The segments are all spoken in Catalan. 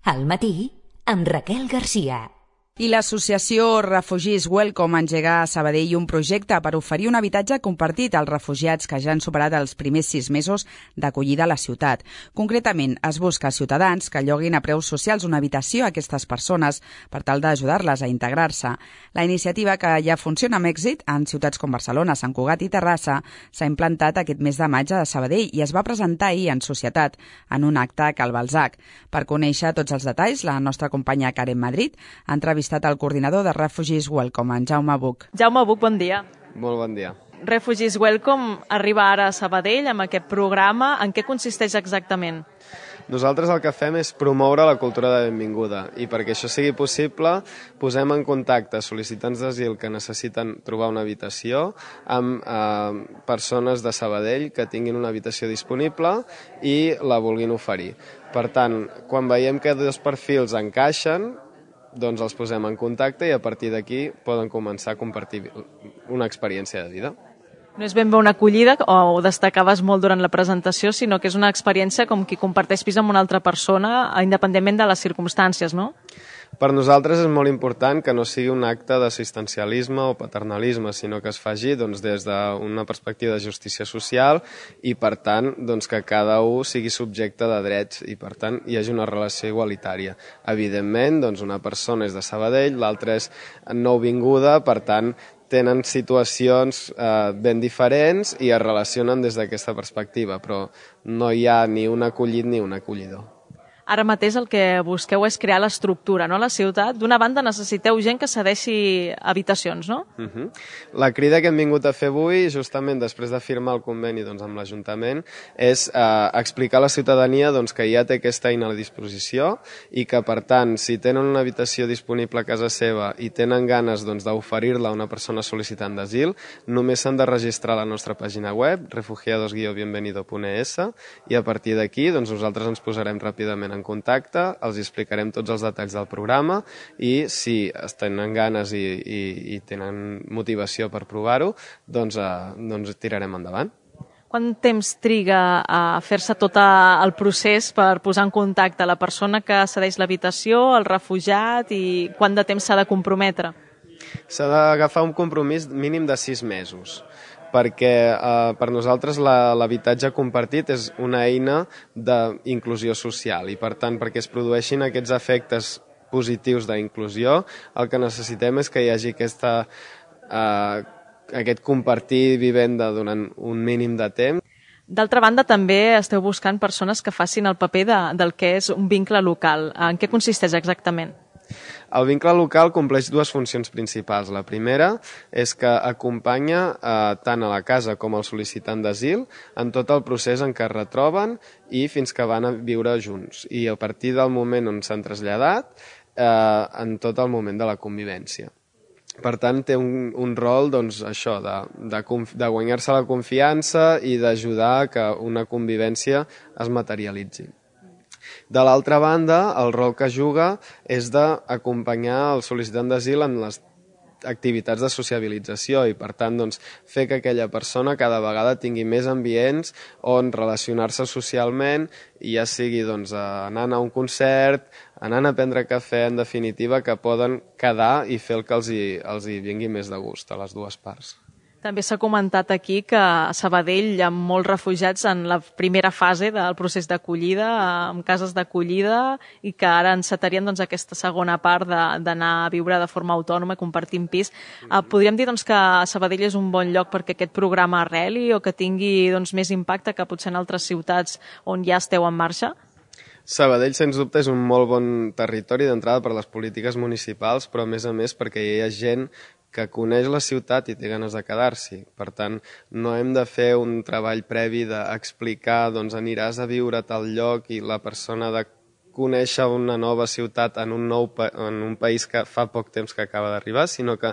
Al matí, amb Raquel Garcia. I l'associació Refugees Welcome engega a Sabadell un projecte per oferir un habitatge compartit als refugiats que ja han superat els primers 6 mesos d'acollida a la ciutat. Concretament, es busca ciutadans que lloguin a preus socials una habitació a aquestes persones per tal d'ajudar-les a integrar-se. La iniciativa, que ja funciona amb èxit en ciutats com Barcelona, Sant Cugat i Terrassa, s'ha implantat aquest mes de maig a Sabadell i es va presentar ahir en societat, en un acte a Cal Balzac. Per conèixer tots els detalls, la nostra companya Karen Madrid ha entrevistat el coordinador de Refugees Welcome, en Jaume Buch. Jaume Buch, bon dia. Molt bon dia. Refugees Welcome arriba ara a Sabadell amb aquest programa. En què consisteix exactament? Nosaltres el que fem és promoure la cultura de benvinguda i perquè això sigui possible posem en contacte sol·licitants d'asil que necessiten trobar una habitació amb persones de Sabadell que tinguin una habitació disponible i la vulguin oferir. Per tant, quan veiem que dos perfils encaixen, doncs els posem en contacte i a partir d'aquí poden començar a compartir una experiència de vida. No és ben bé una acollida, o ho destacaves molt durant la presentació, sinó que és una experiència com qui comparteix pis amb una altra persona, independentment de les circumstàncies, no? Per nosaltres és molt important que no sigui un acte d'assistencialisme o paternalisme, sinó que es faci des d'una perspectiva de justícia social i, per tant, que cada un sigui subjecte de drets i, per tant, hi hagi una relació igualitària. Evidentment, una persona és de Sabadell, l'altra és nouvinguda, per tant, tenen situacions ben diferents i es relacionen des d'aquesta perspectiva, però no hi ha ni un acollit ni un acollidor. Ara mateix el que busqueu és crear l'estructura, no?, a la ciutat. D'una banda necessiteu gent que cedeixi habitacions, no? La crida que hem vingut a fer avui, justament després de firmar el conveni amb l'Ajuntament, és explicar a la ciutadania que ja té aquesta eina a la disposició i que, per tant, si tenen una habitació disponible a casa seva i tenen ganes d'oferir-la a una persona sol·licitant d'asil, només s'han de registrar a la nostra pàgina web, refugiados-bienvenido.es, i a partir d'aquí nosaltres ens posarem ràpidament en contacte, els explicarem tots els detalls del programa i si tenen ganes i tenen motivació per provar-ho, doncs tirarem endavant. Quant temps triga a fer-se tot el procés per posar en contacte la persona que cedeix l'habitació, el refugiat, i quant de temps s'ha de comprometre? S'ha d'agafar un compromís mínim de 6 mesos. Perquè per nosaltres l'habitatge compartit és una eina d'inclusió social i, per tant, perquè es produeixin aquests efectes positius d'inclusió, el que necessitem és que hi hagi aquest compartir vivenda durant un mínim de temps. D'altra banda, també esteu buscant persones que facin el paper del que és un vincle local. En què consisteix exactament? El vincle local compleix 2 funcions principals. La primera és que acompanya tant a la casa com al sol·licitant d'asil en tot el procés en què es retroben i fins que van a viure junts. I a partir del moment on s'han traslladat, en tot el moment de la convivència. Per tant, té un rol de guanyar-se la confiança i d'ajudar que una convivència es materialitzi. De l'altra banda, el rol que juga és d'acompanyar el sol·licitant d'asil en les activitats de sociabilització i, per tant, fer que aquella persona cada vegada tingui més ambients on relacionar-se socialment, i ja sigui anant a un concert, anant a prendre cafè, en definitiva, que poden quedar i fer el que els hi vingui més de gust a les dues parts. També s'ha comentat aquí que a Sabadell hi ha molts refugiats en la primera fase del procés d'acollida, amb cases d'acollida, i que ara encetarien aquesta segona part d'anar a viure de forma autònoma, compartint pis. Podríem dir que Sabadell és un bon lloc perquè aquest programa arreli o que tingui més impacte que potser en altres ciutats on ja esteu en marxa? Sabadell, sens dubte, és un molt bon territori d'entrada per les polítiques municipals, però a més perquè hi ha gent que coneix la ciutat i té ganes de quedar-s'hi. Per tant, no hem de fer un treball previ d'explicar aniràs a viure a tal lloc i la persona de conèixer una nova ciutat en un país que fa poc temps que acaba d'arribar, sinó que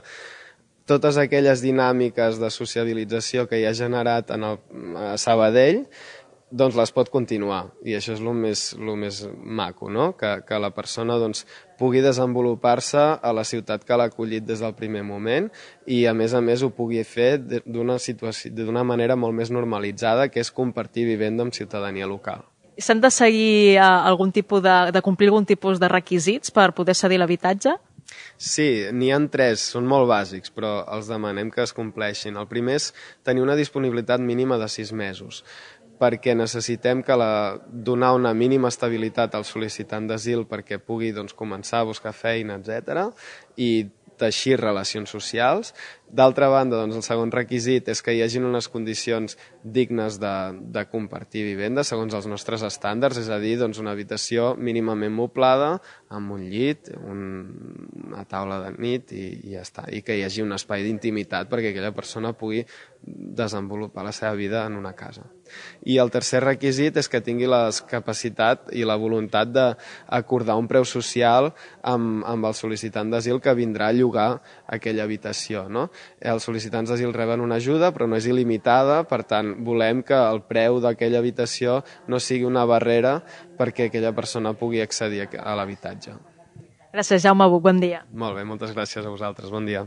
totes aquelles dinàmiques de sociabilització que hi ha generat a Sabadell les pot continuar, i això és el més maco, no? Que la persona pugui desenvolupar-se a la ciutat que l'ha acollit des del primer moment i, a més, ho pugui fer d'una manera molt més normalitzada, que és compartir vivenda amb ciutadania local. S'han de seguir de complir algun tipus de requisits per poder cedir l'habitatge? Sí, n'hi ha 3, són molt bàsics, però els demanem que es compleixin. El primer és tenir una disponibilitat mínima de 6 mesos, perquè necessitem donar una mínima estabilitat al sol·licitant d'asil perquè pugui començar a buscar feina, etc. i teixir relacions socials. D'altra banda, el segon requisit és que hi hagin unes condicions dignes de compartir vivenda segons els nostres estàndards, és a dir, una habitació mínimament moblada, amb un llit, una taula de nit i ja està, i que hi hagi un espai d'intimitat perquè aquella persona pugui desenvolupar la seva vida en una casa. I el tercer requisit és que tingui la capacitat i la voluntat d'acordar un preu social amb el sol·licitant d'asil que vindrà a llogar aquella habitació, no? Els sol·licitants d'asil reben una ajuda, però no és il·limitada, per tant, volem que el preu d'aquella habitació no sigui una barrera perquè aquella persona pugui accedir a l'habitatge. Gràcies, Jaume Buch, bon dia. Molt bé, moltes gràcies a vosaltres, bon dia.